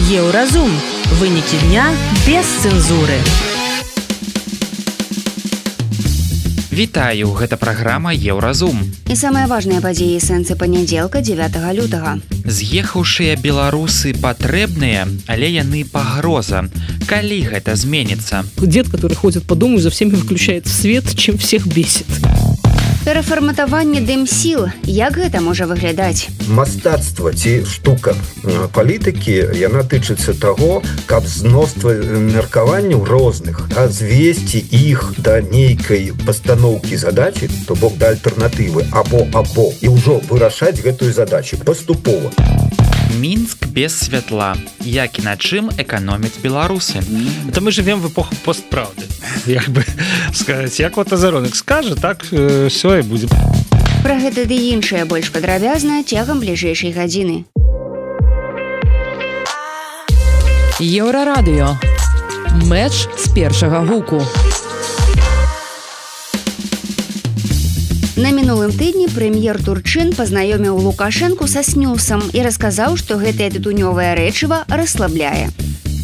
Еўразум. Вынікі дня без цэнзуры. Вітаю, гэта праграма Еўразум. І самыя важныя падзеі сэнсы панядзелка 9 лютага. З'ехаўшыя беларусы патрэбныя, але яны пагроза. Калі гэта зменіцца? Дед, который ходит по дому и за всеми выключает свет, чем всех бесит. Перафарматаванне дэмсіл. Як гэта можа выглядаць? Мастацтва ці штука палітыкі, яна тычыцца таго, каб зноства меркаванняў розных, звесці іх да нейкай пастаноўкі задачы, то бок да альтэрнатывы або, і ўжо вырашаць гэтую задачу паступова. Мінск без святла. Як і на чым эканомяць беларусы? Это мы живем в эпоху постправды. Як бы сказать, як вот Азаронок скажа, так все і будзе. Пра гэта ды іншае больш падрабязна цягам бліжэйшай гадзіны. Еўрарадыё. Мэч з першага гуку. На мінулым тыдні прэм'ер Турчын пазнаёміў Лукашэнку са снюсам і расказаў, што гэтае тытунёвае рэчыва расслабляе.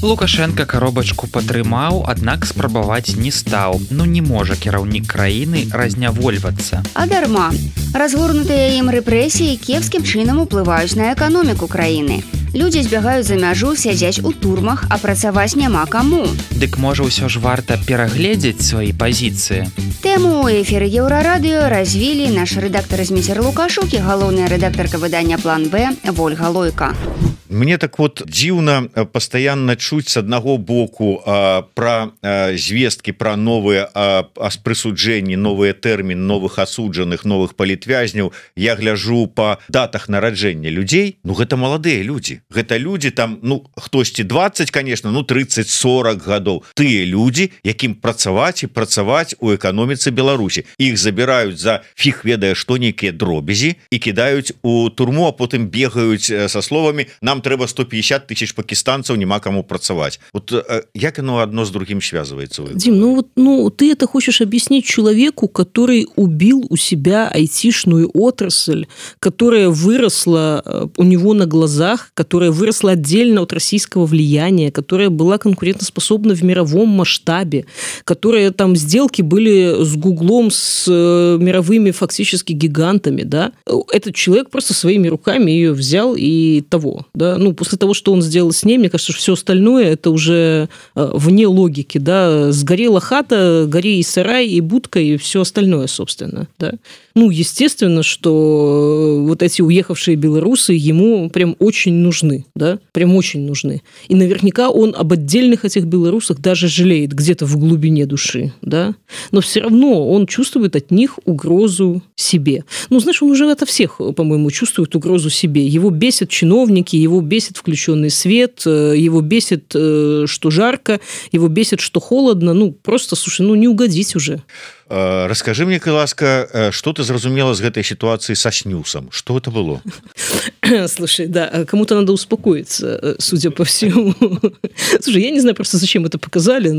Лукашенко коробачку падтрымаў, аднак спрабаваць не стаў. Не можа кіраўнік краіны разнявольвацца. А дарма. Разгорнутыя ім рэпрэсіі кепскім чынам уплываюць на эканоміку краіны. Людзі збягаюць за мяжу, сядзяць у турмах, а працаваць няма каму. Дык можа ўсё ж варта перагледзець свае пазіцыі. Тэму ў эфіры Еўрарадыё развілі наш рэдактар Зміцер Лукашук і галоўная рэдактарка выдання «План Б» Вольга Лойка. Мне так вот дзіўна пастаянна чуць з аднаго боку пра звесткі пра новыя прысуджэнні, новыя тэрміны, новых асуджаных, новых палітвязняў. Я гляжу па датах нараджэння людзей. Гэта маладыя людзі. Гэта людзі там, хтосьці 20, конечно, 30-40 гадоў. Тыя людзі, якім працаваць у эканоміцы Беларусі. Іх забіраюць за фіг ведае што нейкія дробязі і кідаюць у турму, а потым бегаюць са словамі: нам трэба 150 тысяч пакистанцаў, няма каму працаваць. Вот як оно одно с другим связывается? Дим, ты это хочешь объяснить человеку, который убил у себя айтишную отрасль, которая выросла у него на глазах, которая выросла отдельно от российского влияния, которая была конкурентоспособна в мировом масштабе, которая там сделки были с Гуглом, с мировыми фактически гигантами, да? Этот человек просто своими руками ее взял и того, да? После того, что он сделал с ней, мне кажется, что все остальное это уже вне логики, да, сгорела хата, гори и сарай, и будка, и все остальное, собственно, да. Естественно, что вот эти уехавшие белорусы ему прям очень нужны, да, прям очень нужны. И наверняка он об отдельных этих белорусах даже жалеет где-то в глубине души, да, но все равно он чувствует от них угрозу себе. Знаешь, он уже от всех, по-моему, чувствует угрозу себе. Его бесят чиновники, его бесит включенный свет, его бесит, что жарко, его бесит, что холодно. Просто, слушай, не угодить уже. Расскажи мне, ласка, что ты зразумела с этой ситуацией со снюсом? Что это было? Слушай, да, кому-то надо успокоиться, судя по всему. Слушай, я не знаю просто, зачем это показали.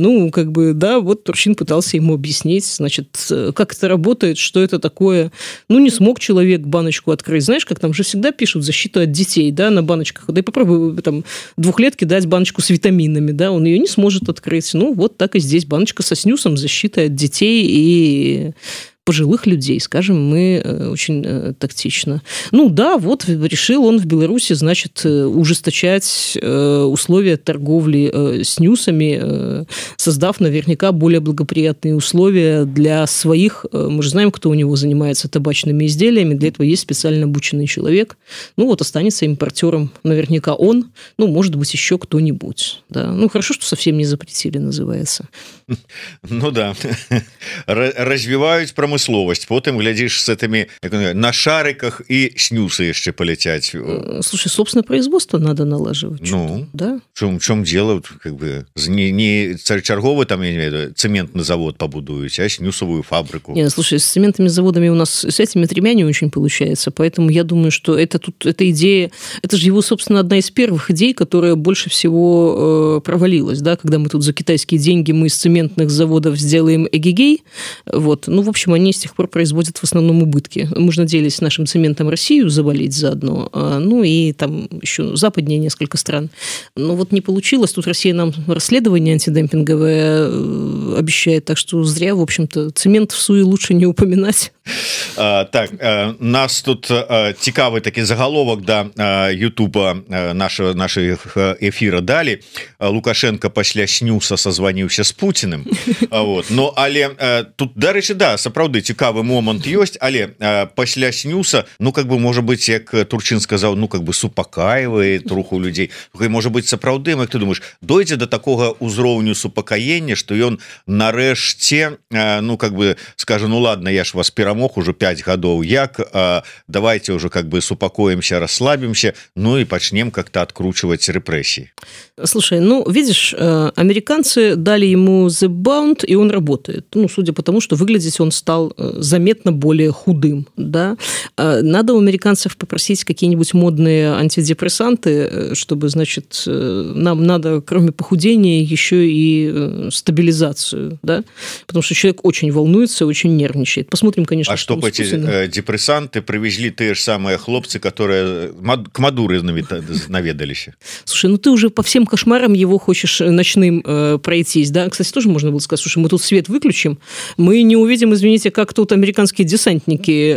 Да, вот Турчин пытался ему объяснить, значит, как это работает, что это такое. Не смог человек баночку открыть. Знаешь, как там же всегда пишут защиту от детей, да, на баночках. Да и попробуй там 2-летке дать баночку с витаминами, да, он ее не сможет открыть. Вот так и здесь баночка со снюсом, защитой от детей и пожилых людей, скажем мы очень тактично. Да, вот решил он в Беларуси, значит, ужесточать условия торговли снюсами, создав наверняка более благоприятные условия для своих, мы же знаем, кто у него занимается табачными изделиями, для этого есть специально обученный человек, останется импортером наверняка он, может быть, еще кто-нибудь, да. Хорошо, что совсем не запретили, называется. Да, развиваюць прамысловасць, потым глядзіш с этими на шариках и снюсы яшчэ полетять. Слушай, собственно, производство надо налаживать. Да? В чем дело? Не чарговый там, я не знаю, цементный завод побудуете, а снюсовую фабрику. Нет, слушай, с цементными заводами у нас с этими 3 не очень получается, поэтому я думаю, что эта идея, это же его, собственно, одна из первых идей, которая больше всего провалилась, да, когда мы тут за китайские деньги мы из цементных заводов сделаем эгегей, в общем, они они с тех пор производят в основном убытки. Мы же надеялись нашим цементом Россию завалить заодно, ну и там еще западнее несколько стран. Но вот не получилось. Тут Россия нам расследование антидемпинговое обещает, так что зря, в общем-то, цемент в суе лучше не упоминать. Так, нас тут цікавы такі заголовок да Ютуба наших эфира далі. Лукашенко пасля снюса созваніўся з Путиным. Вот. Но але тут, дарэчы, да, сапраўды цікавы момант ёсць, але пасля снюса, ну как бы можа быть, як Турчин сказаў, ну как бы супакаивае троху людзей. Можа быть, сапраўды, як ты думаешь, дойдзе до такога ўзроўню супакаення, што ён нарэшце, ну как бы скажа, ну ладно, я ж вас перамог уже 5 гадоў, як давайте уже как бы супакоимся, расслабимся, ну и почнем как-то откручивать репрессии. Слушай, ну видишь, американцы дали ему The Bound, и он работает. Ну, судя по тому, что выглядеть он стал заметно более худым, да. Надо у американцев попросить какие-нибудь модные антидепрессанты, чтобы, значит, нам надо, кроме похудения, еще и стабилизацию, да, потому что человек очень волнуется, очень нервничает. Посмотрим, конечно, а что эти депрессанты привезли те же самые хлопцы, которые к Мадуре наведались. Слушай, ну ты уже по всем кошмарам его хочешь ночным пройтись, да? Кстати, тоже можно было сказать, слушай, мы тут свет выключим, мы не увидим, извините, как тут американские десантники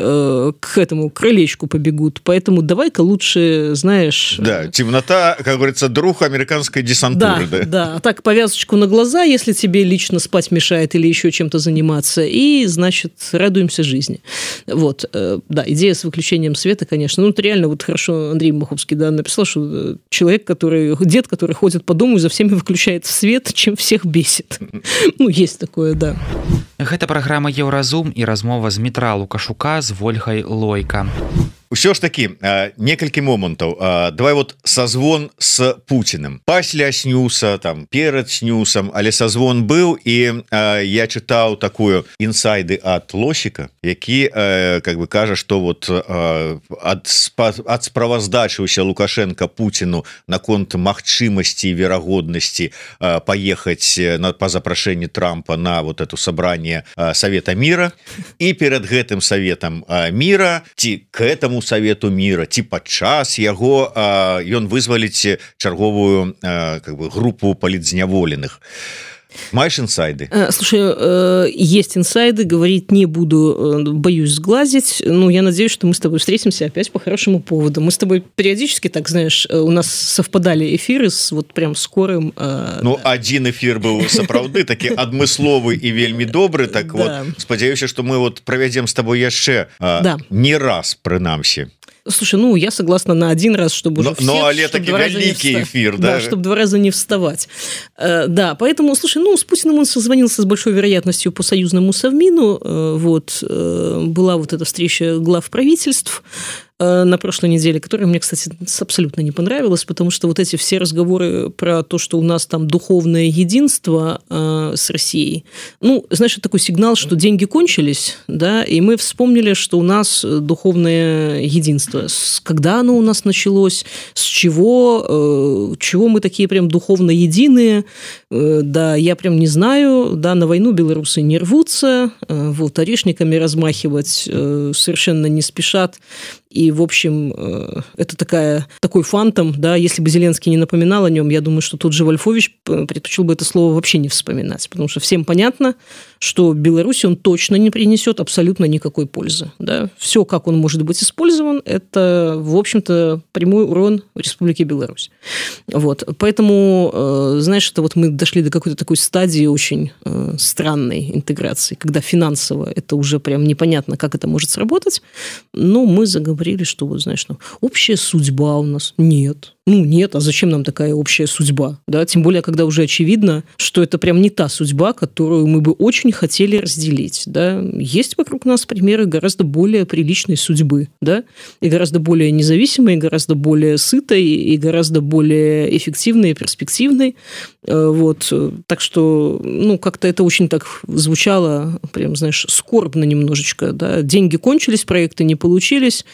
к этому крылечку побегут, поэтому давай-ка лучше, знаешь... Да, темнота, как говорится, друг американской десантуры. Да, да, а так повязочку на глаза, если тебе лично спать мешает или еще чем-то заниматься, и, значит, радуемся жизни. Вот, да, идея с выключением света, конечно, ну, это реально вот хорошо Андрей Маховский, да, написал, что человек, дед, который ходит по дому и за всеми выключает свет, чем всех бесит. Ну, есть такое, да. Гэта праграма Еўразум і размова з Дмітра Лукашука з Вольгай Лойка. Ўсё ж такі некалькі момантаў. Давай вот созвон с Путиным пасля снюса, там перад снюсам, але созвон быў, і я чытаў такую інсайды ад Лосіка, які как бы кажа, што вот ад справаздачыўся Лукашенко Путину наконт магчымасці і верагоднасці паехаць па запрашэнні Трампа на вот это собрание Совета мира, і перад гэтым Советом мира ці к этому Совету мира ці падчас яго ён вызваліць чарговую как бы группу палітзняволеных. Маешь инсайды? Слушай, есть инсайды, говорить не буду, боюсь сглазить, но я надеюсь, что мы с тобой встретимся опять по хорошему поводу. Мы с тобой периодически, так знаешь, у нас совпадали эфиры с вот прям скорым... Ну, один эфир был сапраўды такі адмысловы і вельмі добры, так вот, спадзяюся, что мы вот проведем с тобой яшчэ не раз, прынамсі. Слушай, ну, я согласна на один раз, чтобы уже всех... Но это таки великий эфир, да? Да, чтобы 2 раза не вставать. Да, поэтому, слушай, ну, с Путиным он созвонился с большой вероятностью по союзному Совмину. Вот, была вот эта встреча глав правительств на прошлой неделе, которая мне, кстати, абсолютно не понравилась, потому что вот эти все разговоры про то, что у нас там духовное единство с Россией, ну, знаешь, это такой сигнал, что деньги кончились, да, и мы вспомнили, что у нас духовное единство. Когда оно у нас началось, с чего мы такие прям духовно единые, да, я прям не знаю, да, на войну белорусы не рвутся, вот, орешниками размахивать совершенно не спешат. И, в общем, это такой фантом, да, если бы Зеленский не напоминал о нем, я думаю, что тот же Вольфович предпочел бы это слово вообще не вспоминать, потому что всем понятно, что Беларуси он точно не принесет абсолютно никакой пользы, да. Все, как он может быть использован, это, в общем-то, прямой урон Республике Беларусь. Вот, поэтому, знаешь, это вот мы дошли до какой-то такой стадии очень странной интеграции, когда финансово это уже прям непонятно, как это может сработать, но мы заговорили, что, вот, знаешь, ну, общая судьба у нас. Нет. Ну, нет, а зачем нам такая общая судьба? Да? Тем более, когда уже очевидно, что это прям не та судьба, которую мы бы очень хотели разделить. Да? Есть вокруг нас примеры гораздо более приличной судьбы, да? И гораздо более независимой, и гораздо более сытой, и гораздо более эффективной и перспективной. Вот. Так что, ну, как-то это очень так звучало, прям, знаешь, скорбно немножечко. Да? Деньги кончились, проекты не получились.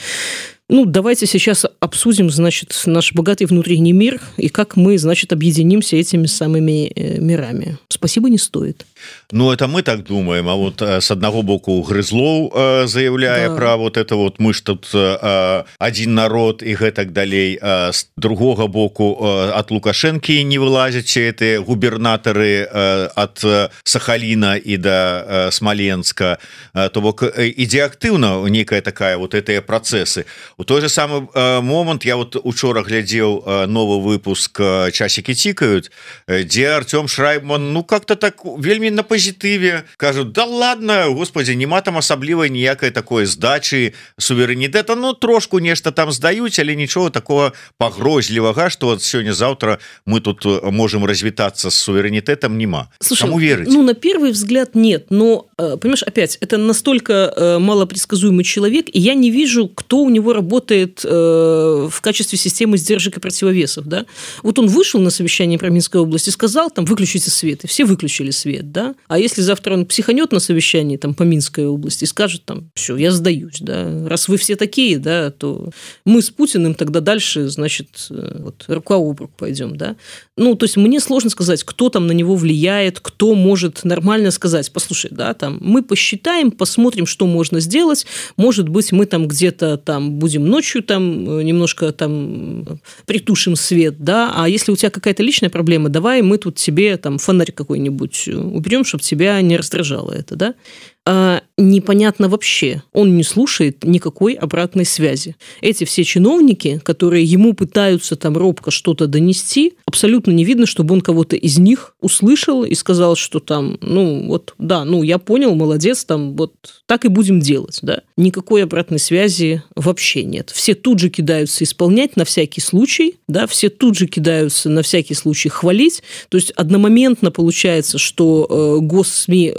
Ну, давайте сейчас обсудим, значит, наш богатый внутренний мир и как мы, значит, объединимся этими самыми мирами. Спасибо не стоит. Ну, это мы так думаем, а вот с одного боку Грызлоў заявляя про вот это вот мы ж тут один народ и гэтак далей, с другого боку от Лукашенки не вылазят эти губернаторы от Сахалина и до Смоленска, то бок ідзе актыўна некая такая вот этыя процессы. У той же самый момент я вот учора глядзеў новый выпуск «Часики тикают», где Артем Шрайбман, ну как-то так вельмі на позитыве кажут: да ладно, господи, нема там асаблівай ніякай такой здачи суверэнітэта, ну трошку нешта там здаюць, але ничего такого пагрозлівага, что вот сегодня-завтра мы тут можем развитаться с суверенитетом, нема. Слушай, кому верить? Ну, на первый взгляд нет, но, понимаешь, опять, это настолько малопредсказуемый человек, и я не вижу, кто у него работает в качестве системы сдержек и противовесов, да. Вот он вышел на совещание про Минской области, сказал, там, выключите свет, и все выключили свет, да. А если завтра он психанет на совещании там по Минской области и скажет, там, все, я сдаюсь, да, раз вы все такие, да, то мы с Путиным тогда дальше, значит, вот, рука об руку пойдем, да. Ну, то есть мне сложно сказать, кто там на него влияет, кто может нормально сказать: послушай, да, там, мы посчитаем, посмотрим, что можно сделать, может быть, мы там где-то там будем ночью там немножко там притушим свет, да, а если у тебя какая-то личная проблема, давай мы тут тебе там фонарь какой-нибудь уберем, чтобы тебя не раздражало это, да. Непонятно вообще, он не слушает никакой обратной связи. Эти все чиновники, которые ему пытаются там робко что-то донести, абсолютно не видно, чтобы он кого-то из них услышал и сказал, что там, ну вот, да, ну я понял, молодец, там вот так и будем делать, да. Никакой обратной связи вообще нет. Все тут же кидаются исполнять на всякий случай, да, все тут же кидаются на всякий случай хвалить, то есть одномоментно получается, что госсми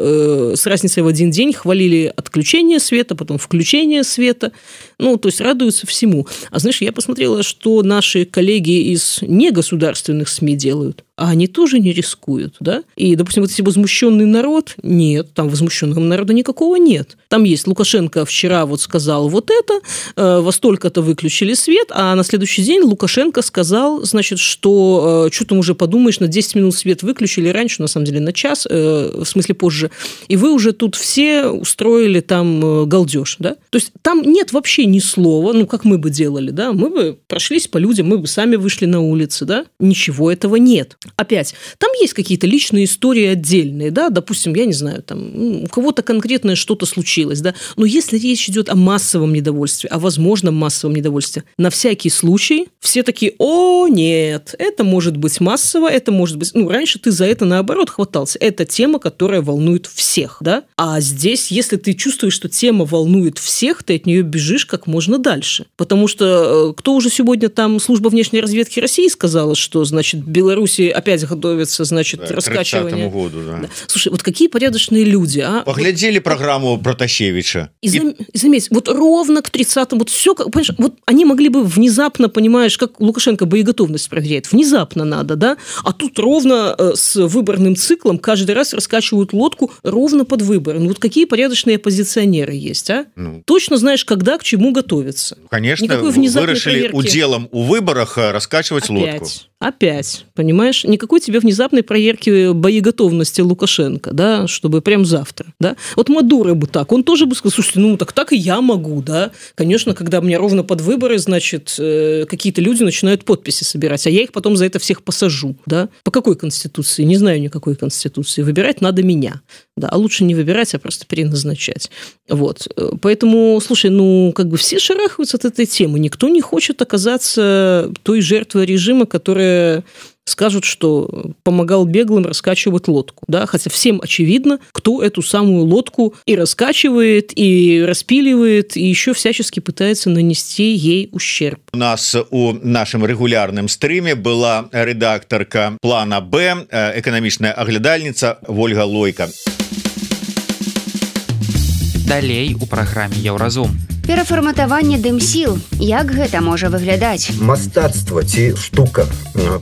с разницей в один день хвалили отключение света, потом включение света, ну, то есть радуются всему. А знаешь, я посмотрела, что наши коллеги из негосударственных СМИ делают, а они тоже не рискуют, да? И, допустим, вот если возмущенный народ, нет, там возмущенного народа никакого нет. Там есть Лукашенко вчера вот сказал вот это, во столько-то выключили свет, а на следующий день Лукашенко сказал, значит, что что там уже подумаешь, на 10 минут свет выключили раньше, на самом деле на час, в смысле позже, и вы уже тут все устроили там галдеж, да? То есть там нет вообще ни слова, ну, как мы бы делали, да? Мы бы прошлись по людям, мы бы сами вышли на улицы, да? Ничего этого нет. Опять, там есть какие-то личные истории отдельные, да, допустим, я не знаю, там у кого-то конкретное что-то случилось, да, но если речь идет о массовом недовольстве, о возможном массовом недовольстве, на всякий случай все такие: о, нет, это может быть массово, это может быть, ну, раньше ты за это наоборот хватался, это тема, которая волнует всех, да, а здесь, если ты чувствуешь, что тема волнует всех, ты от нее бежишь как можно дальше, потому что кто уже сегодня там служба внешней разведки России сказала, что, значит, Беларуси опять готовится, значит, да, раскачивание. Году, да. Да. Слушай, вот какие порядочные люди, а? Поглядели программу Протасевича. И заметь, вот ровно к 30-му, вот все, понимаешь, вот они могли бы внезапно, понимаешь, как Лукашенко боеготовность проверяет, внезапно надо, да, а тут ровно с выборным циклом каждый раз раскачивают лодку ровно под выборы. Ну вот какие порядочные оппозиционеры есть, а? Ну, точно знаешь, когда к чему готовиться. Конечно, вырашили уделом у выборах раскачивать лодку. Опять, понимаешь, никакой тебе внезапной проверки боеготовности Лукашенко, да, чтобы прям завтра, да. Вот Мадуро бы так, он тоже бы сказал: слушайте, ну так и я могу, да. Конечно, когда мне ровно под выборы, значит, какие-то люди начинают подписи собирать, а я их потом за это всех посажу, да. По какой конституции? Не знаю никакой конституции. Выбирать надо меня, да, а лучше не выбирать, а просто переназначать. Вот, поэтому, слушай, ну, как бы все шарахаются от этой темы, никто не хочет оказаться той жертвой режима, которая скажут, что помогал беглым раскачивать лодку, да, хотя всем очевидно, кто эту самую лодку и раскачивает, и распиливает, и еще всячески пытается нанести ей ущерб. У нас у нашем регулярном стриме была редакторка «Плана Б», экономичная оглядальница Вольга Лойка. Далей у праграме «Еўразум». Перафарматаванне дымсіл. Як гэта можа выглядаць? Мастацтва ці штука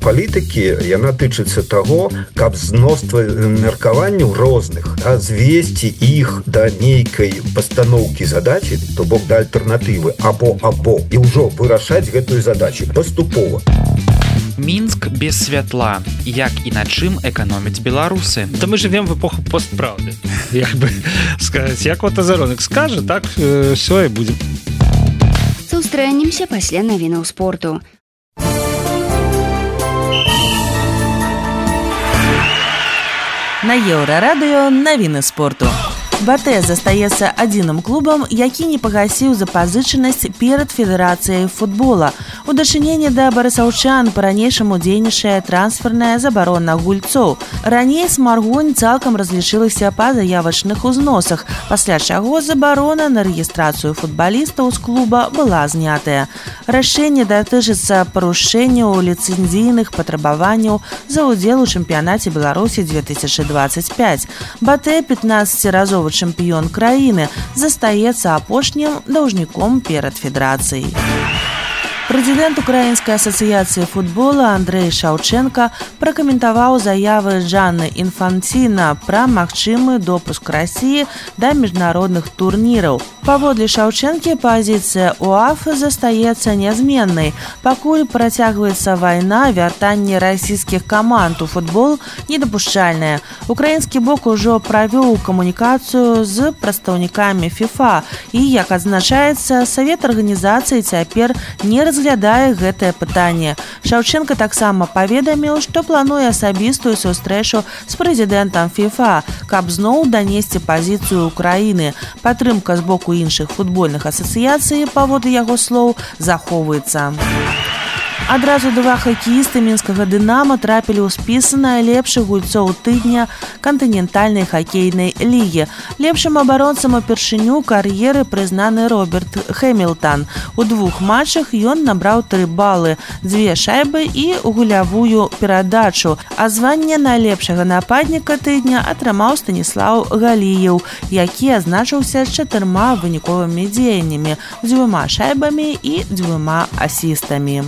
палітыкі, яна тычыцца таго, каб з мноства меркаванняў розных звесці іх да нейкай пастаноўкі задачы, то бок да альтэрнатывы або і ўжо вырашаць гэтую задачу паступова. Мінск без святла. Як і на чым эканомяць беларусы? Да мы живем в эпоху постправды. Як бы сказаць, як вот Азаронак скажа, так все і будзе. Сустрэнемся пасля навінаў спорту. На Еўрарадыё навіны спорту. БТ застаецца адзіным клубам, які не пагасіў запазычанасць перад федэрацыяй футбола. У дачыненні да барысаўчан па-ранейшаму дзейнічае трансферная забарона гульцоў. Раней Смаргонь цалкам разлічылася па заявачных узносах, пасля чаго забарона на рэгістрацыю футбалістаў з клуба была знятая. Рашэнне датычыцца парушэнняў ліцэнзійных патрабаванняў за ўдзел у чэмпіянаце Беларусі 2025. БТ 15-разовы чэмпіён краіны застаецца апошнім даўжніком перад федэрацыяй. Прэзідэнт Украінскай асацыяцыі футбола Андрэй Шаўчэнка пракаментаваў заявы Джанны Інфанціна пра магчымы допуск Расіі да міжнародных турніраў. Паводле Шаўчэнкі пазіцыя УАФ застаецца нязменнай. Пакуль працягваецца вайна, вяртанне расійскіх каманд у футбол недапушчальнае. Украінскі бок ужо правёў камунікацыю з прадстаўнікамі ФІФА і, як адзначаецца, Савет арганізацыі цяпер не разглядае гэтае пытанне. Шаўчэнка таксама паведаміў, што плануе асабістую сустрэчу з прэзідэнтам ФІФА, каб зноў данесці пазіцыю Украіны. Падтрымка з боку іншых футбольных асацыяцый, паводле яго слоў, захоўваецца. Адразу два хакеісты мінскага «Дынама» трапілі ў спіс найлепшых гульцоў тыдня кантынентальнай хакейнай лігі. Лепшым абаронцам упершыню кар'еры прызнаны Роберт Хэмілтан. У 2 матчах ён набраў 3 балы, 2 шайбы і гулявую перадачу. А званне найлепшага нападніка тыдня атрымаў Станіслаў Галіеў, які адзначыўся 4 выніковымі дзеяннямі, 2 шайбамі і 2 асістамі.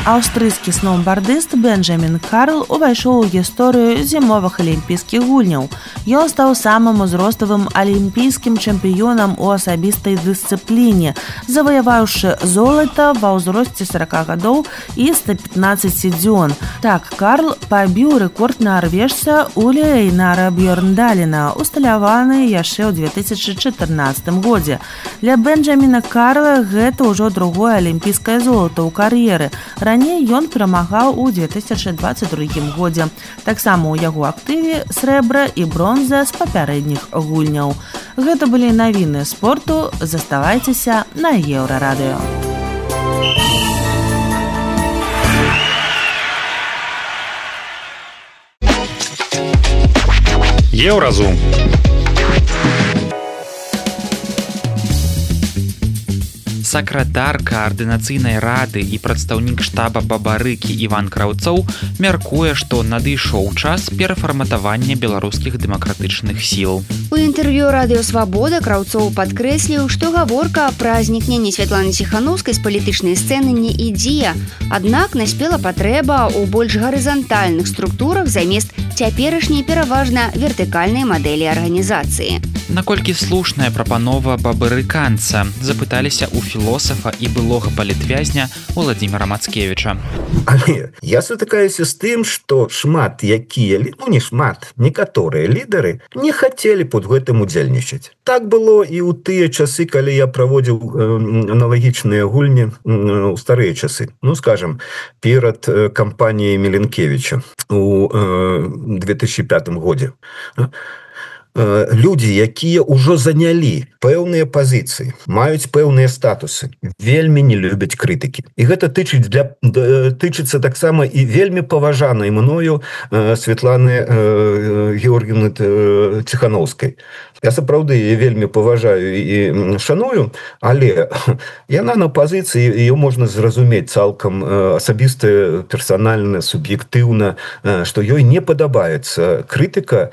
Аўстрыйскі сноўбардыст Бенджамін Карл увайшоў у гісторыю зімовых алімпійскіх гульняў. Ён стаў самым узроставым алімпійскім чэмпіёнам у асабістай дысцыпліне, заваяваўшы золата ва ўзросце 40 гадоў і 115 дзён. Так, Карл пабіў рэкорд нарвежца Уля Эйнара Бьёрндалена, усталяваны яшчэ ў 2014 годзе. Для Бенджаміна Карла гэта ўжо другое алімпійскае золата ў кар'еры. Раней ён перамагаў у 2022 годзе. Таксама ў яго актыве срэбра і бронза з папярэдніх гульняў. Гэта былі навіны спорту. Заставайцеся на Еўрарадыё. Еўразум. Сакратар каардынацыйнай рады і прадстаўнік штаба Бабарыкі Іван Краўцоў мяркуе, што надышоў час перафарматавання беларускіх дэмакратычных сіл. У інтэрв'ю радыё «Свабода» Краўцоў падкрэсліў, што гаворка пра знікненне Святланы Ціханаўскай з палітычнай сцэны не ідзе. Аднак наспела патрэба ў больш гарызантальных структурах замест цяперашняй пераважна вертыкальнай мадэлі арганізацыі. Наколькі слушная прапанова бабарыканца, запыталіся ў філосафа і былога палітвязня Владзіміра Мацкевіча. Але я сутыкаюся з тым, што шмат якія, не шмат, некаторыя лідары не хацелі пад гэтым удзельнічаць. Так было і ў тыя часы, калі я праводзіў аналагічныя гульні ў старыя часы. Скажем, перад кампаніяй Міленкевіча у 2005 годзе. Людзі, якія ўжо занялі пэўныя пазіцыі, маюць пэўныя статусы, вельмі не любяць крытыкі. І гэта тычыцца таксама і вельмі паважанай мною Святланы Георгіевны Ціханаўскай. Я сапраўды вельмі паважаю і шаную, але яна на пазіцыі, ее можна зразумець цалкам асабіста, персанальна, суб'ектыўна, што ёй не падабаецца крытыка,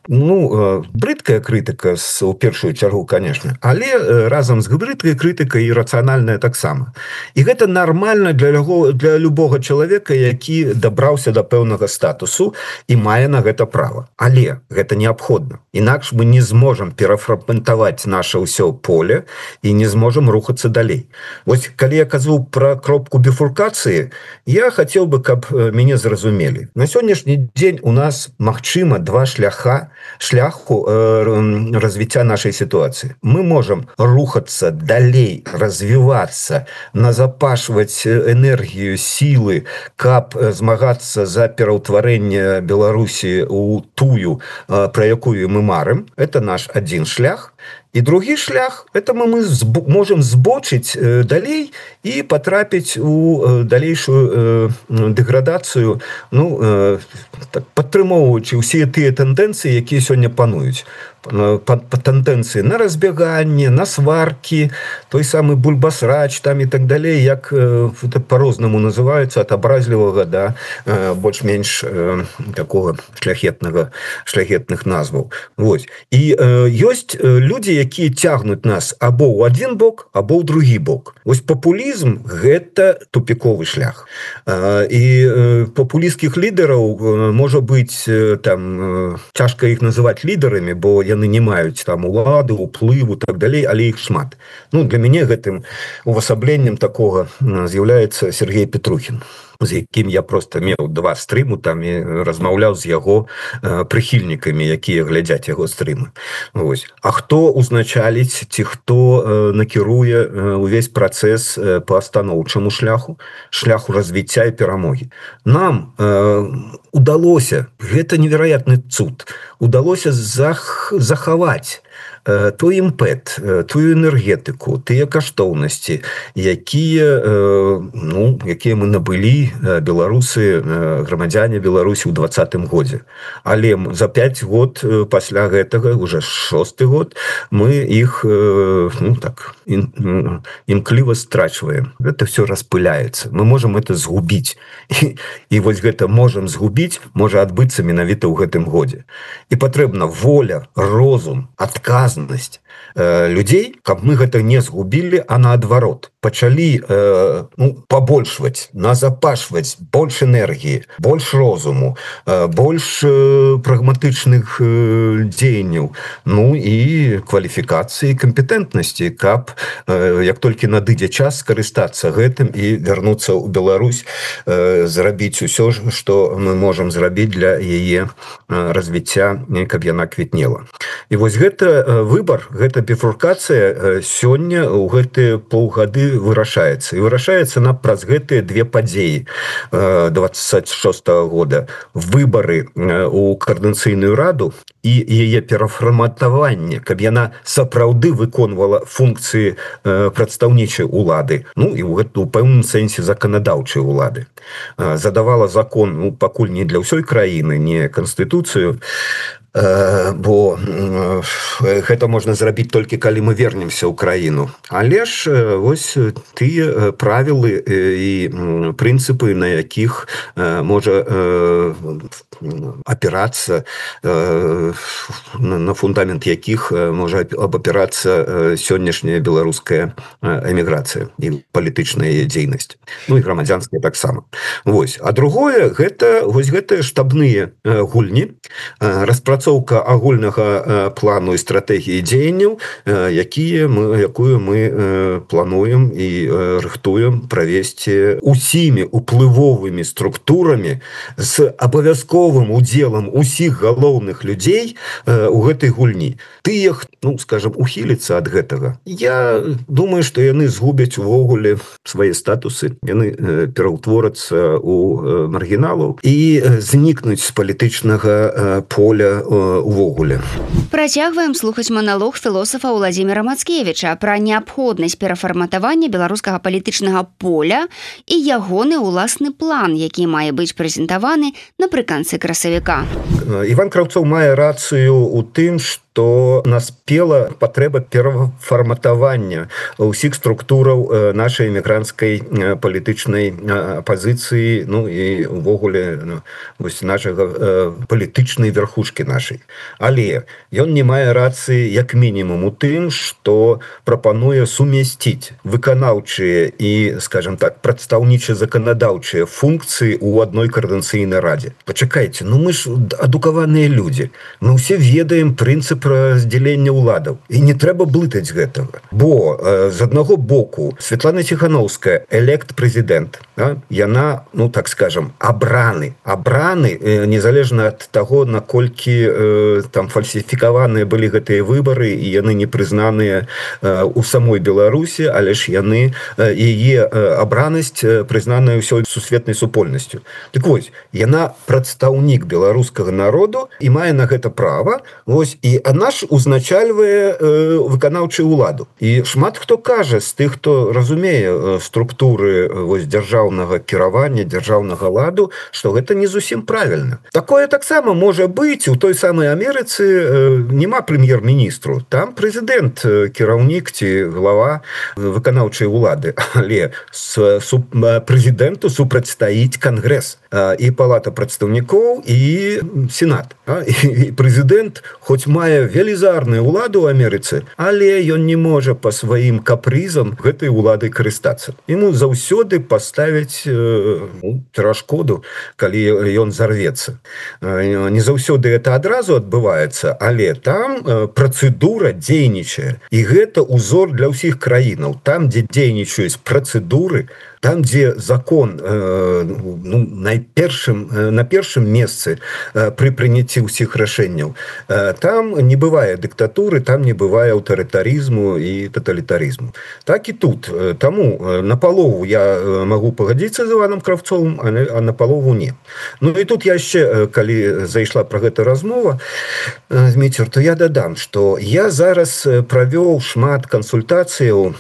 брыдкая крытыка у першую чаргу, конечно, але разам з брыдкай крытыкай і рацыянальная таксама. І гэта нармальна для любога чалавека, які дабраўся да пэўнага статусу і мае на гэта права. Але гэта неабходна. Інакш мы не зможам перафрагментаваць наша ўсё поле і не зможам рухацца далей. Вось, калі я казаў пра кропку біфуркацыі, я хацеў бы, каб мяне зразумелі. На сённяшні дзень у нас, магчыма, два шляху развіцця нашай сітуацыі. Мы можам рухацца далей, развівацца, назапашваць энергію, сілы, каб змагацца за пераўтварэнне Беларусі ў тую, пра якую мы марым. Это наш адзін шлях. І другі шлях, это мы можам збочыць далей і патрапіць у далейшую дэградацыю, падтрымоўваючы ўсе тыя тэндэнцыі, якія сёння пануюць. Тэндэнцыі на разбеганне, на сваркі, той самы бульбасрач там і так далей, як по-рознаму называюцца, ад абразлівага да больш-менш такога шляхетных назваў. І ёсць людзі, якія цягнуць нас або ў адзін бок, або ў другі бок. Вось папулізм – гэта тупіковы шлях. І папулісцкіх лідараў, можа быць, там цяжка іх называць лідарамі, бо яны не маюць там улады, уплыву, так далей, але іх шмат. Для мяне гэтым увасабленнем такога з'яўляецца Сергей Петрухін, з якім я просто меў 2 стрыму там і размаўляў з яго прыхільнікамі, якія глядзяць яго стрымы. А хто узначаліць ці хто накіруе увесь працэс па станоўчаму шляху развіцця і перамогі? Нам удалося, гэта невероятны цуд, удалося захаваць той імпэт, тую энергетыку, тыя каштоўнасці, якія мы набылі беларусы, грамадзяне Беларусі ў 20-м годзе. Але за 5 год пасля гэтага, уже 6-й год, мы іх імкліва страчваем. Гэта все распыляецца. Мы можам это згубіць. І вось гэта можам згубіць можа адбыцца менавіта ў гэтым годзе. І патрэбна воля, розум, адказнасць людзей, каб мы гэта не згубілі, а наадварот пачалі пабольшваць, назапашваць больш энергіі, больш розуму, больш прагматычных дзеянняў, і кваліфікацыі, кампетэнтнасці, каб як толькі надыдзе час скарыстацца гэтым і вярнуцца ў Беларусь, зрабіць усё, што мы можам зрабіць для яе развіцця, каб яна квітнела. І вось гэта выбар, гэта біфуркацыя сёння ў гэтыя паўгады вырашаецца. І вырашаецца праз гэтыя 2 падзеі 26-го года. Выбары ў Коордынацыйную раду і яе перафарматаванне, каб яна сапраўды выконвала функцыі прадстаўнічай улады, і ў пэўным сэнсе заканадаўчай улады. Задавала закон, пакуль не для ўсёй краіны, не канстытуцыю, бо гэта можна зрабіць толькі калі мы вернемся ў краіну. Але ж вось тыя правілы і прынцыпы, на якіх можа апірацца, на фундамент якіх можа абапірацца сённяшняя беларуская эміграцыя і палітычная дзейнасць, і грамадзянская таксама. А другое, гэта вось гэтыя штабныя гульні, распрацоўка агульнага плану і стратэгіі дзеянняў, якую мы плануем і рыхтуем правесці усімі уплывовымі структурамі з абавязковым удзелам усіх галоўных людзей у гэтай гульні. Тыя, скажам, ухіліцца ад гэтага. Я думаю, што яны згубяць увогуле свае статусы, яны пераўтворацца ў маргіналаў і знікнуць з палітычнага поля увогуле. Працягваем слухаць маналог філосафа Уладзіміра Мацкевіча пра неабходнасць перафарматавання беларускага палітычнага поля і ягоны ўласны план, які мае быць прэзентаваны напрыканцы красавіка. Іван Краўцоў мае рацыю ў тым, што што наспела патрэба перафарматавання ўсіх структураў нашай эмігранцкай палітычнай апазіцыі, ну і увогуле нашага палітычнай верхушкі нашай. Але ён не мае рацыі як мінімум у тым, што прапануе сумясціць выканаўчыя і, скажем так, прадстаўніча-заканадаўчыя функцыі ў адной коордынацыйнай радзе. Пачакайце, ну мы ж адукаваныя людзі. Мы ўсе ведаем прынцып раздзялення ўладаў. І не трэба блытаць гэтага. Бо з аднаго боку Светлана Ціхановская, элект-прэзідэнт, яна, ну так скажем, абраны, незалежна ад таго, наколькі там фальсіфікаваныя былі гэтыя выбары, і яны не прызнаныя у самой Беларусі, але ж яны, яе абранасць прызнаная ўсёй сусветнай супольнасцю. Так вось, яна прадстаўнік беларускага народу і мае на гэта права, вось, і она ж узначальвае выканаўчую ўладу. І шмат хто кажа з тых, хто разумее структуры вось дзяржаўнага кіравання, дзяржаўнага ладу, што гэта не зусім правільна. Такое таксама можа быць у той самай Амерыцы, няма прэм'ер-міністру, там прэзідэнт, кіраўнік ці глава выканаўчай улады, але прэзідэнту супрацьстаіць кангрэс і палата прадстаўнікоў і сенат. І прэзідэнт хоць мае велізарную ўладу ў Амерыцы, але ён не можа па сваім капрызам гэтай уладай карыстацца. Ему заўсёды паставяць перашкоду, калі ён зарвецца. Не заўсёды это адразу адбываецца, але там працэдура дзейнічае. І гэта ўзор для ўсіх краінаў. Там, дзе дзейнічаюць працэдуры, там, дзе закон на першым месцы пры прыняцці ўсіх рашэнняў, там не бывае дыктатуры, там не бывае аўтарытарызму і таталітарызму. Так і тут. Таму напалову я магу пагадзіцца з Іваном Кравцовым, а напалову не. Ну і тут яшчэ, калі зайшла пра гэта размова, Зміцер, то я дадам, што я зараз правёў шмат кансультацыяў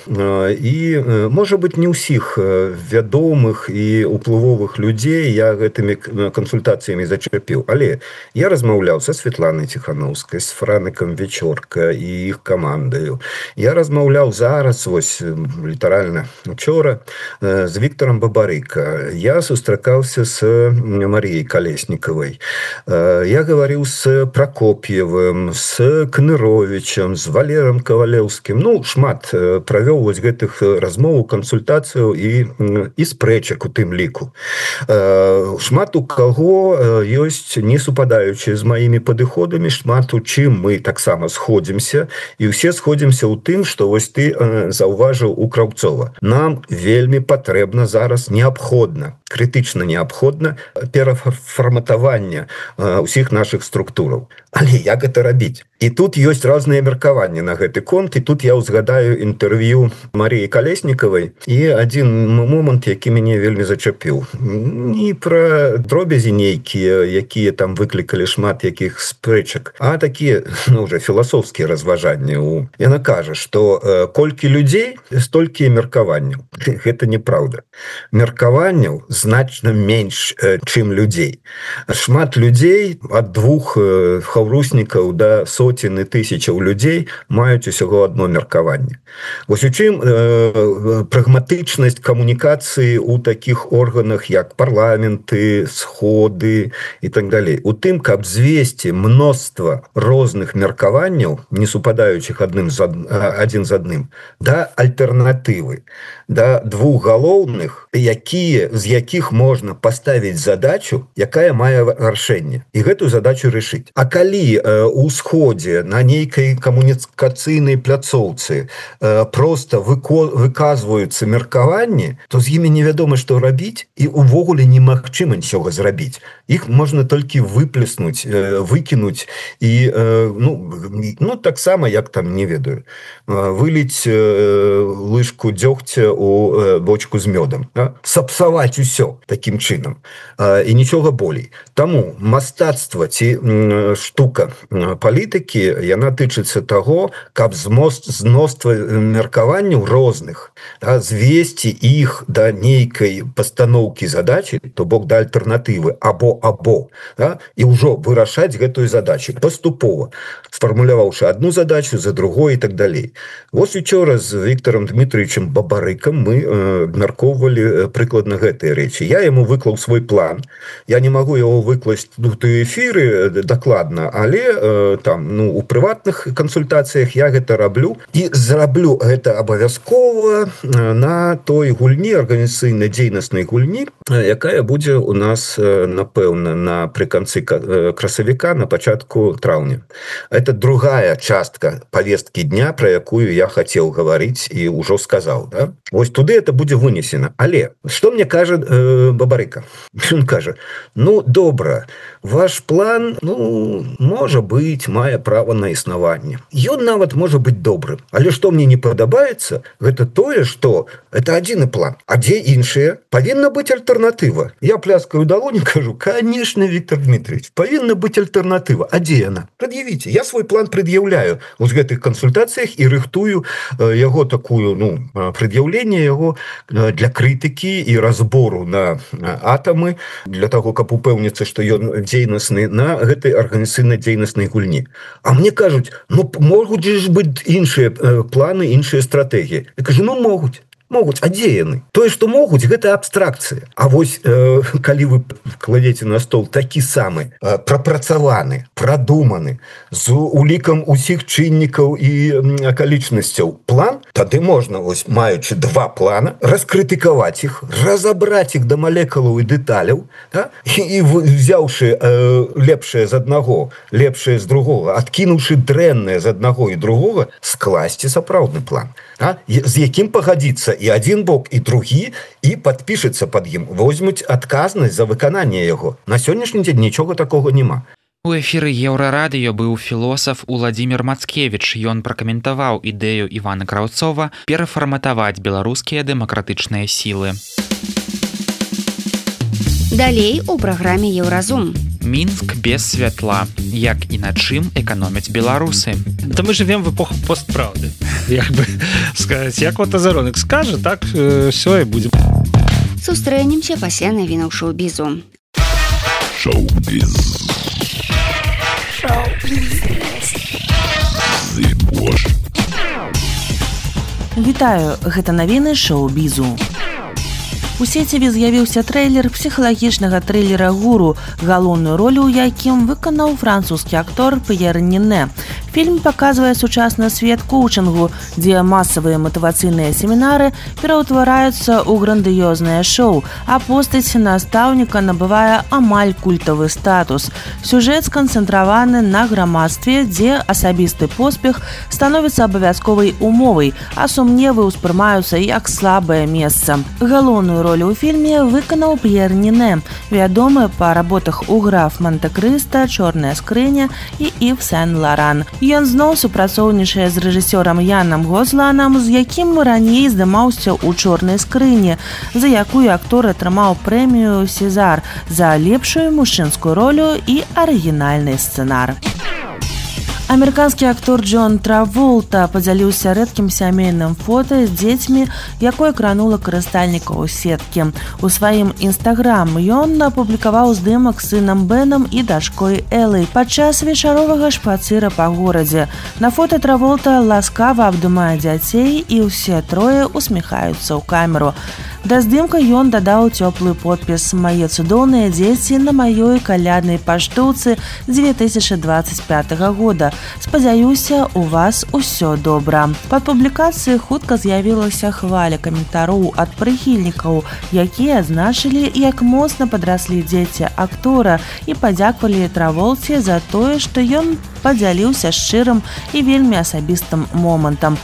і, можа быць, не ўсіх вядомых і уплывовых людзей я гэтымі кансультацыямі зачапіў. Але я размаўляў са Светланай Ціхановскай, з Франыкам Вечорка і іх камандаю. Я размаўляў зараз, вось, літаральна учора, з Віктарам Бабарыка. Я сустракаўся з Маріяй Калеснікавай. Я гаварыў з Пракоп'евым, з Кныровічам, з Валерам Кавалеўскім. Ну, шмат правёў вось гэтых размоў, кансультацыяў і спрэчак у тым ліку. Шмат у каго ёсць несупадаючыя з маімі падыходамі, шмат у чым мы таксама сходзімся, і ўсе сходзімся ў тым, што вось ты заўважыў у Краўцова. Нам вельмі патрэбна зараз неабходна, крытычна неабходна перафарматаванне ўсіх нашых структураў. Але як гэта рабіць? І тут ёсць розныя меркаванні на гэты конт, і тут я ўзгадаю інтэрв'ю Маріі Калеснікавай і адзін момант, які мяне вельмі зачапіў. Не пра дробязі нейкія, якія там выклікалі шмат якіх спрэчак, а такія, уже філасофскія разважанні. Яна кажа, што колькі людзей, столькі меркаванняў. Гэта неправда. Меркаванняў значна менш, чым людзей. Шмат людзей ад двух хаўруснікаў да соцены тысячаў людзей маюць усяго адно меркаванне. Вось у чым прагматычнасць камунікацыі ў такіх органах, як парламенты, сходы і так далей. У тым, каб звесці мноства розных меркаванняў, не супадаючых адзін з адным, да альтэрнатывы, да двух галоўных, з якіх можна паставіць задачу, якая мае рашэнне, і гэтую задачу рашыць. А калі у сходзе на нейкай камунікацыйнай пляцоўцы проста выказваюцца меркаванні, то з імі невядома, што рабіць, і увогуле немагчыма нічога зрабіць. Іх можна толькі выплеснуць, выкінуць і, таксама, як там, не ведаю, выліць лыжку дзёгця у бочку з мёдам. Сапсаваць усё. все таким чынам і нічога болей. Таму мастацтва ці штука палітыкі яна тычыцца таго, каб зноства меркаванняў розных звесці іх да нейкай пастаноўкі задачи, то бок да альтэрнатывы або і ўжо вырашаць гэтую задачу паступова, сфармуляваўшы одну задачу за другой і так далей. Вось учора з Віктором Дмитриевичем Бабарыкам мы абмяркоўвалі прыкладна гэтыя рэчы. Я яму выклаў свой план. Я не магу яго выкласць у эфіры дакладна, але там у прыватных кансультацыях я гэта раблю і зраблю гэта абавязкова на той гульні, арганізацыйнай дзейнаснай гульні, якая будзе у нас, напэўна, напрыканцы красавіка, на пачатку траўня. Это другая частка повестки дня, про якую я хотел говорить и уже сказал. Да? Вось туды это будет вынесено. Але, что мне кажет Бабарыка? Он кажет, добра, ваш план, может быть, мае право на існаванне. Ён нават может быть добрым. Але что мне не падабаецца, это тое, что это адзіны план. А дзе іншыя? Павінна быть альтернатива. Я пляскаю далонь и кажу, конечно, Виктор Дмитриевич, павінна быть альтернатива. А дзе яна? Предъявите. Я свой план предъявляю в гэтых консультациях и рыхтую яго такую, предъявление его для критики и разбору на атомы, для того, каб упэўніцца, что ён дзейнасны на гэтай арганізацыйнай дзейнаснай гульні. А мне кажуць, могуць ж быць іншыя планы, іншыя стратэгіі. Я кажу, могуць. А дзе яны? Тое, што могуць, гэта абстракцыя. А вось, калі вы кладзеце на стол такі самы прапрацаваны, прадуманы, з улікам усіх чыннікаў і акалічнасцяў план, тады можна, вось, маючы два плана, раскрытыкаваць іх, разабраць іх да малекулаў і дэталяў, і взяўшы лепшае з аднаго, лепшае з другога, адкінуўшы дрэннае з аднаго і другога, скласці сапраўдны план, з якім пагадзіцца і один бок, і другі, і падпішацца пад ім, возьмуць адказнасць за выкананне яго. На сённяшні дзень нічога такога няма. У эфіры Еўрарадыё быў філосаф Уладзімір Мацкевіч. Ён пракаментаваў ідэю Івана Краўцова перафарматаваць беларускія дэмакратычныя сілы. Далей у праграме Еўразум. Мінск без святла. Як і на чым эканомяць беларусы? Это мы живем в эпоху постправды. Як бы сказать, як вот Азаронок скажет, так все и будем. Сустрэнемся пасля навінаў шоу-бізу. Шоу-біз. Вітаю, гэта навіны шоу-бізу. У сеціве з'явіўся трэйлер псіхалагічнага трылера «Гуру», галоўную ролю ў якім выканаў французскі актор П'ер Нине. Фільм паказвае сучасны свет коучынгу, дзе масавыя матывацыйныя семінары пераўтвараюцца ў грандыёзнае шоу, а постаць настаўніка набывае амаль культавы статус. Сюжэт сканцэнтраваны на грамадстве, дзе асабісты поспех становіцца абавязковай умовай, а сумневы ўспрымаюцца як слабае месца. Галоўную ролю ў фільме выканаў П'ер Нине, вядомы па работах у «Граф Монте-Крыста», «Чорная скрыня» і «Ів Сен-Лоран». Ён зноў супрацоўнічае з рэжысёрам Янам Гозланам, з якім раней здымаўся ў «Чорнай скрыні», за якую актор атрымаў прэмію «Сезар» за лепшую мужчынскую ролю і арыгінальны сцэнар. Амерыканскі актор Джон Траволта падзяліўся рэдкім сямейным фота з дзецьмі, якое кранула карыстальнікаў сеткі. У сваім інстаграм ён апублікаваў здымак з сынам Бенам і дачкой Элай падчас вечаровага шпацыра па горадзе. На фота Траволта ласкава абдымае дзяцей, і ўсе трое усміхаюцца ў камеру. Да здымка ён дадаў цёплы подпіс «Мае цудоўныя дзеці на маёй каляднай паштоўцы 2025 года. Спадзяюся, у вас усё добра». Пад публікацыяй хутка з'явілася хваля каментароў ад прыхільнікаў, якія адзначылі, як моцна падраслі дзеці актора і падзякавалі Траволце за тое, што ён падзяліўся шчырым і вельмі асабістым момантам.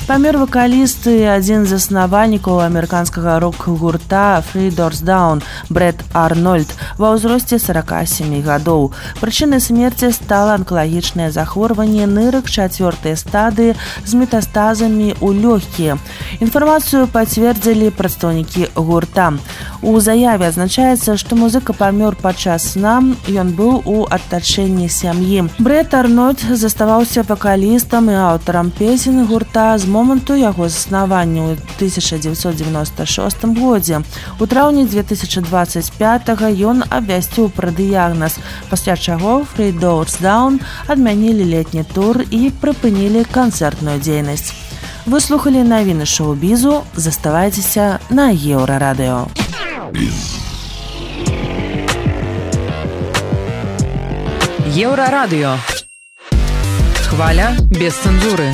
Памёр вакаліст і адзін з заснавальнікаў амерыканскага рок-гурта Three Doors Down Брэд Арнольд ва ўзросце 47 гадоў. Прычынай смерці стала анкалагічнае захворванне нырак 4-й стадыі з метастазамі ў лёгкія. Інфармацыю пацвердзілі прадстаўнікі гурта. У заяве адзначаецца, што музыка памёр падчас сна, ён быў у адтачэнні сям'і. Брэт Арнольд заставаўся вакалістам і аўтарам песен гурта з моманту яго заснавання ў 1996 годзе. У траўні 2025 ён абвясціў пра дыягназ, пасля чаго Three Doors Down адмянілі летні тур і прыпынілі канцэртную дзейнасць. Вы слухалі навіны шоу-бізу, заставайцеся на Еўрарадыё. Еўрарадыё. Хваля без цэнзуры.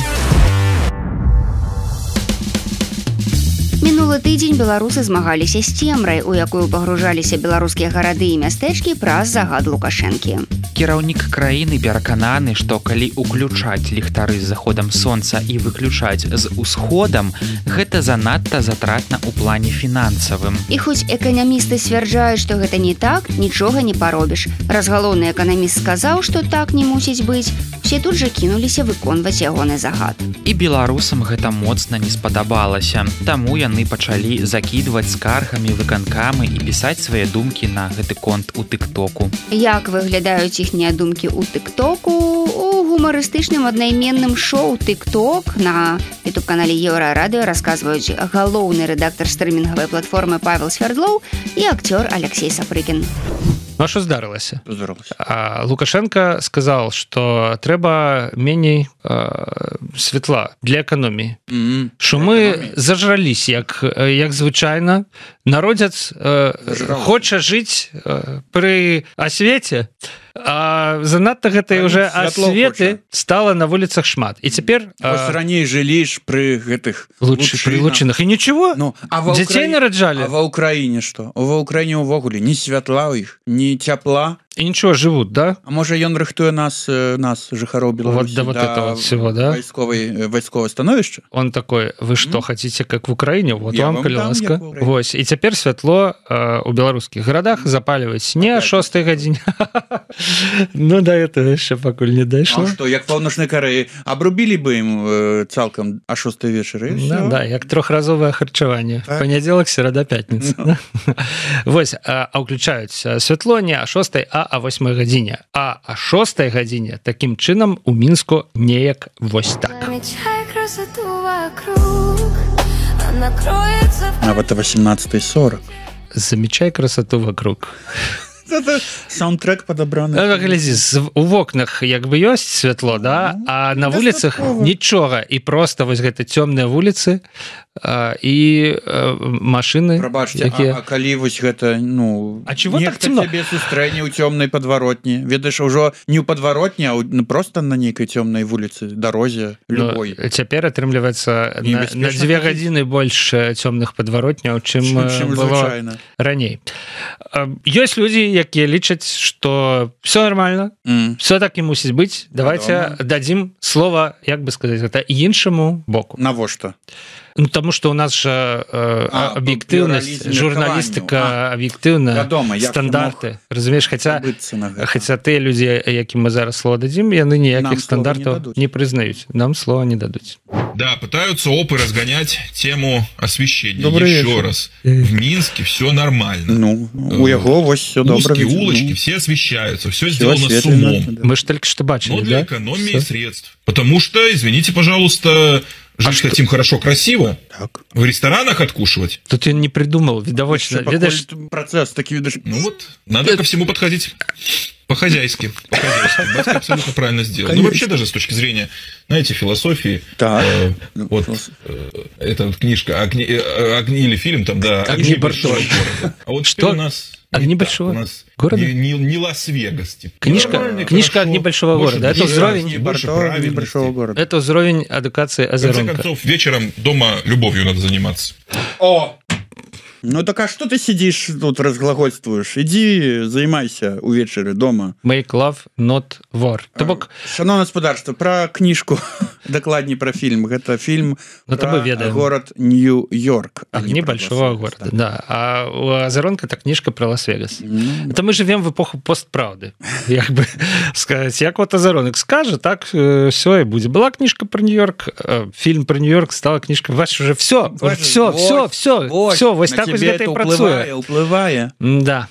Мінулы тыдзень беларусы змагаліся з цемрай, у якую пагружаліся беларускія гарады і мястэчкі праз загад Лукашэнкі. Кіраўнік краіны перакананы, што калі уключаць ліхтары з заходам сонца і выключаць з усходам, гэта занадта затратна ў плане фінансавым. І хоць эканамісты сцвярджаюць, што гэта не так, нічога не паробіш. Раз галоўны эканаміст сказаў, што так не мусіць быць, усе тут жа кінуліся выконваць ягоны загад. І беларусам гэта моцна не спадабалася, таму яны пачалі закідваць скаргамі выканкамы і пісаць свае думкі на гэты конт у тык-току. Як выглядаюць іхнія думкі ў тык-току? У гумарыстычным аднайменным шоу тык-ток на ютуб-канале Еўрарадыё расказваюць галоўны рэдактар стрымінгавай платформы Павел Свердлоў і акцёр Алексей Сапрыкін. Ну, а що здарылася? Лукашенко сказал, что трэба меней светла для экономии. Что мы зажрались, як звычайно. Народец хоча жить при освете, а занадта гэтай уже осветы стало на вуліцах шмат. І цяпер раней жылі ж при гэтых лучынах. І ничего? Дзяцей нараджалі? А ва Украіне што? Ва Украіне ўвогуле ні святла ў іх, ні цяпла. И ничего, живут, да? А может, он рыхтуе нас жыхароў Беларуси, вот этого всего, да? Войсковое становішча? Он такой, вы что, хотите, как в Украине? Вот я вам, калі ласка. Вось. И теперь светло у белорусских городах запаливать не о 6 гадзіне. Ну, до этого еще пакуль не дайшло. А что, як паўночнай Карэі, обрубили бы им цалкам о 6 вечера? Да, як трохразовое харчевание. Понеделок, середа, пятница. Вось, а уключаюць святло не о 6, а о 8 гадзіне. А о 6 гадзіне таким чынам у Мінску неяк вось так. Нават о 18:40. Замечай красоту вокруг. Это саундтрек подобраны. Глядзі, у вокнах як бы ёсць святло, да? А на вуліцах нічога. І просто вось гэта цёмныя вуліцы і машыны. Прабачце, а калі вось гэта, ну, а чего так цёмна? Нехта цябе сустрэне ў цёмнай падваротні. Ведаеш, ужо не ў падваротні, а просто на нейкай цёмнай вуліцы, дарозе, любой. Цяпер атрымліваецца на 2 гадзіны больш цёмных падваротняў, чым было раней. Ёсць людзі, якія лічаць, што все нормально, все так і мусіць быць. Давайте дадзім слова, як бы сказаць, гэта іншаму боку. Навошта? Ну, тому что у нас же объективность, журналистика объективна, стандарты. Разумеешь, хотя те люди, яким мы зараз слово дадим, яны ніяких стандартов не признают. Нам слова не дадут. Да, пытаются опы разгонять тему освещения. Еще раз. В Минске все нормально. Ну, у его вот все добро. Узкие улочки, все освещаются, все сделано с умом. Мы же только что бачили, да? Но для экономии средств. Потому что, извините, пожалуйста, жить хотим хорошо, красиво. Так. В ресторанах откушивать. Тут я не придумал, видовочно. Видишь, процесс такие, видишь. Ну вот, надо ко всему подходить по-хозяйски. Батька абсолютно правильно сделал. Конечно. Ну вообще даже с точки зрения, знаете, философии. Так. Вот эта книжка «Огни» или фильм там, да, «Огни большого города». А вот что у нас... «Огни большого города»? Не Лас-Вегас. Типа. Книжка «Огни большого города». Это уровень большого города. Это уровень адукации Азаронка. В конце концов, вечером дома любовью надо заниматься. О! Ну так а что ты сидишь тут разглагольствуешь? Иди займайся увечары дома. Make love, not war. То бок... Шановне господарство, про книжку, докладней про фильм. Это фильм про город Нью-Йорк. Огни большого города, да. А у Азаронка это книжка про Лас-Вегас. Это мы живем в эпоху постправды. Як бы сказать, як вот Азаронок скажет, так все и будет. Была книжка про Нью-Йорк, фильм про Нью-Йорк, стала книжка. Ваш уже все, вот так якось гэта і працуе. Уплывае. Да.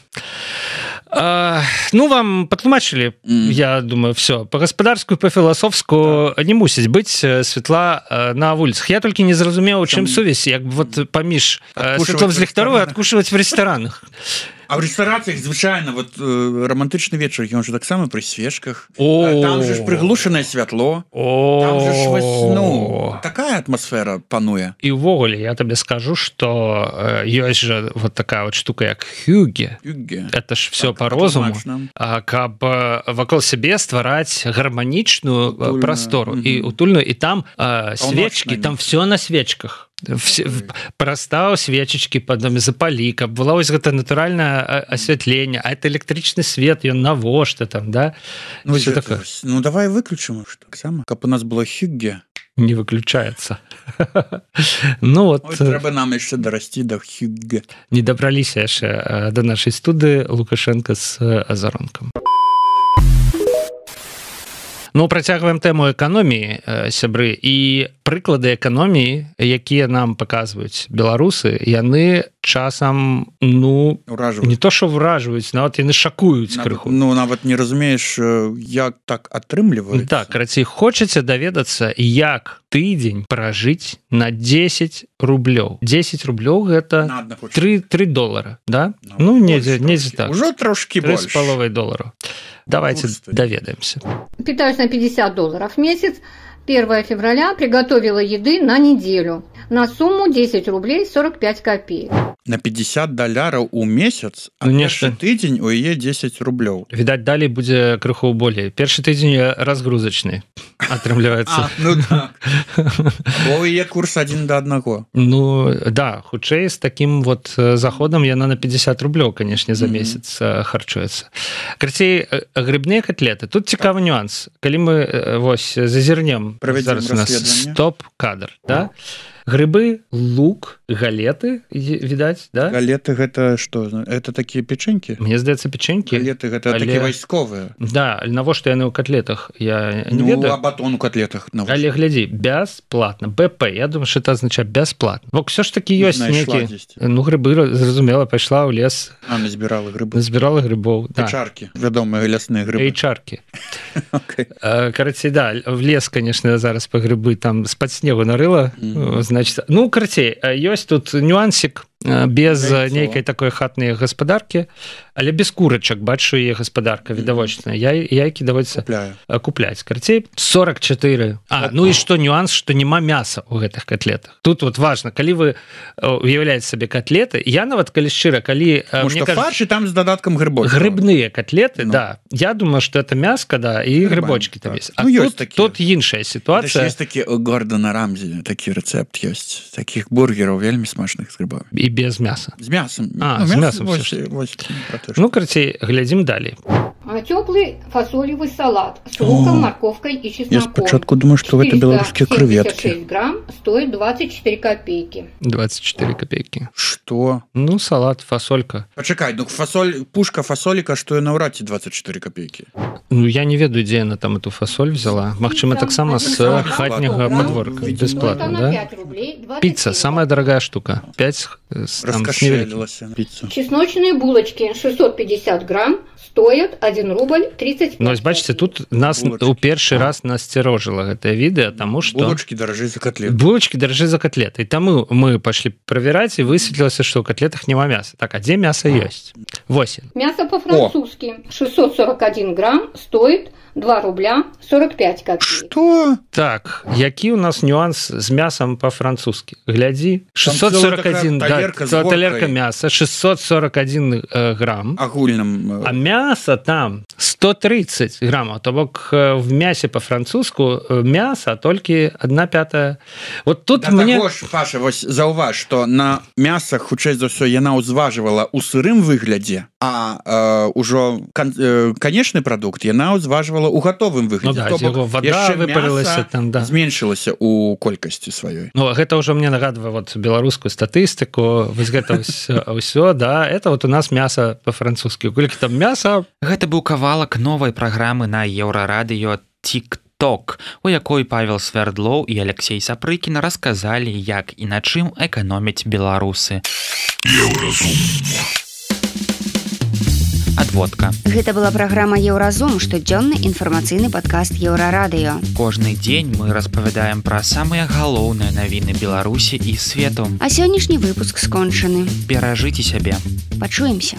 Ну, вам патлумачылі, я думаю, все. Па-гаспадарскую, па-філасофску не мусіць быць святла на вуліцах. Я толькі не зразумеў, у чым сувязь, як вот паміж святлом з ліхтару і адкушваць в рэстаранах. А в рэстарацыях звычайна вот романтычны вечар, ён же таксама пры свечках. Там же ж прыглушанае святло. Там же ж такая атмасфера пануе. І ўвогуле я табе скажу, што ёсць жа вот такая вот штука, як хюге. Это ж все по розуму. Каб вакол сябе ствараць гарманічную прастору і утульную, і там свечкі, там все на свечках. Прастаў свечачкі пад намі запалі, каб было вось гэта натуральнае асвятленне, а это электрычны свет, ён навошта там, да? Ну давай выключым таксама, каб у нас было хюгге. Не выключаецца. Ну вот трэба нам яшчэ дарасці да хюгге. Не дабраліся яшчэ да нашай студыі Лукашенко з азаронкам. Ну, працягваем тэму эканоміі, сябры, і прыклады эканоміі, якія нам паказваюць беларусы, яны часам, ну, не то, што ўражваюць, нават яны шакуюць крыху. Ну, нават не разумееш, як так атрымліваецца. Так, рацей, хочаце даведацца, як тыдзень пражыць на 10 рублёў. 10 рублёў гэта 3 долара, да? Ну, недзе так. Ужо трошкі больш. 3,5 долара. Давайте доведаемся. Питаюсь на $50 в месяц. 1 февраля приготовила еды на неделю на сумму 10 рублей 45 копеек. На $50 у месяц, а першы тыдзень у яе 10 рублёў. Відаць, далей будзе крыху болей. Першы тыдзень разгрузачны атрымліваецца. Ну так. Бо яе курс 1:1. Ну, да, хутчэй з такім вот заходам яна на 50 рублёў, канешне, за месяц харчуецца. Карацей, грыбныя котлеты. Тут цікавы нюанс. Калі мы вось зазірнем, зараз у нас стоп-кадр, да? Грибы, лук, галеты, відаць, да? Галеты гэта што? Это такія печенькі? Мне здаецца, печенькі. Галеты гэта такія вайсковыя. Да, навошта яны ў котлетах? Я не ведаю. Ну, а батон у котлетах. Але глядзі, бясплатна. БП, я думаю, што это азначае бясплатна. Бо ўсё ж такі ёсць нейкі... Ну, грибы, зразумела, пайшла ў лес. Назбірала грибы. Назбірала грибоў, да. Эйчаркі, вядомыя лясныя грибы. Эйчаркі. Карацей, да, в лес, конечно, зараз па грибы там з-пад снегу нарыла. Значит, ну, карацей, ёсць тут нюансик без нейкай такой хатнай гаспадаркі, але без курачак, бачу, яе гаспадарка відавочная. Яйкі даводзіцца купляць. Карацей, 44. Ну і што нюанс, што няма мяса ў гэтых котлетах. Тут вот важна, калі вы уяўляеце сабе котлеты, я нават, калі шчыра, калі... Может, фарш і там з дадаткам грибочкаў. Грибныя котлеты, да. Я думаю, што это мяска, да, і грибочки там есть. А тут іншая ситуация. Есть такі Гордона Рамзі, такі рэцэпт ёсць. Такіх бургераў вельмі смачных з грибамі. І без мяса. З мясом. З мясом. Ну, карацей, глядзім далей. Теплый фасолевый салат с луком, морковкой и чесноком. Я спочатку думаю, что это белорусские креветки. 476 грамм стоит 24 копейки. 24 копейки. Что? Ну, салат, фасолька. Почекай, ну пушка фасолика стоит на урате 24 копейки. Ну, я не ведаю, где она там эту фасоль взяла. Магчыма, таксама с хатняга подворка. Бесплатно, да? Пицца, самая дорогая штука. 5 раскошелилась пицца. Чесночные булочки 650 грамм стоят 1 рубль 30 Ну, бачите, тут нас у першы раз насцярожила гэтае відэа, таму што... Булочки дорожэй за котлеты. Булочки дорожэй за котлеты. І таму мы пошли проверять, и высветлілася, што ў котлетах няма мяса. Так, а дзе мясо ёсць? 8. Мясо по-французски 641 грамм стоит 2 рубля 45 копеек. Что? Так, які у нас нюанс з мясом по-французски? Глядзі, 641, да, талерка мяса, 641 грамм. Агульным. А мясо там 130 граммов. То бок в мясе по-французску мясо толькі 1/5. Вот тут да мне... Таго ж, Паша, вось заўваж, што на мясах, хутчэй за ўсё, яна ўзважвала ў сырым выглядзе, а ўжо канечны прадукт яна ўзважвала у гатовым выглядзе. Ну, да, яго вода выпарылася там, да. Зменшылася у колькасці сваёй. Ну, гэта ўжо мне нагадвае вот беларускую статыстыку, вось гэта ўсё, да, это вот у нас мясо по-французски. Колькі там мяса? Гэта быў кавалак новай праграмы на Еўрарадыё TikTok, у якой Павел Свярдлоў і Алексей Сапрыкін расказалі, як і на чым эканомяць беларусы. Адводка. Гэта была праграма Еўразум, штодзённы інфармацыйны падкаст Еўрарадыё. Кожны дзень мы распавядаем пра самыя галоўныя навіны Беларусі і свету. А сённяшні выпуск скончаны. Беражыце сябе. Пачуемся.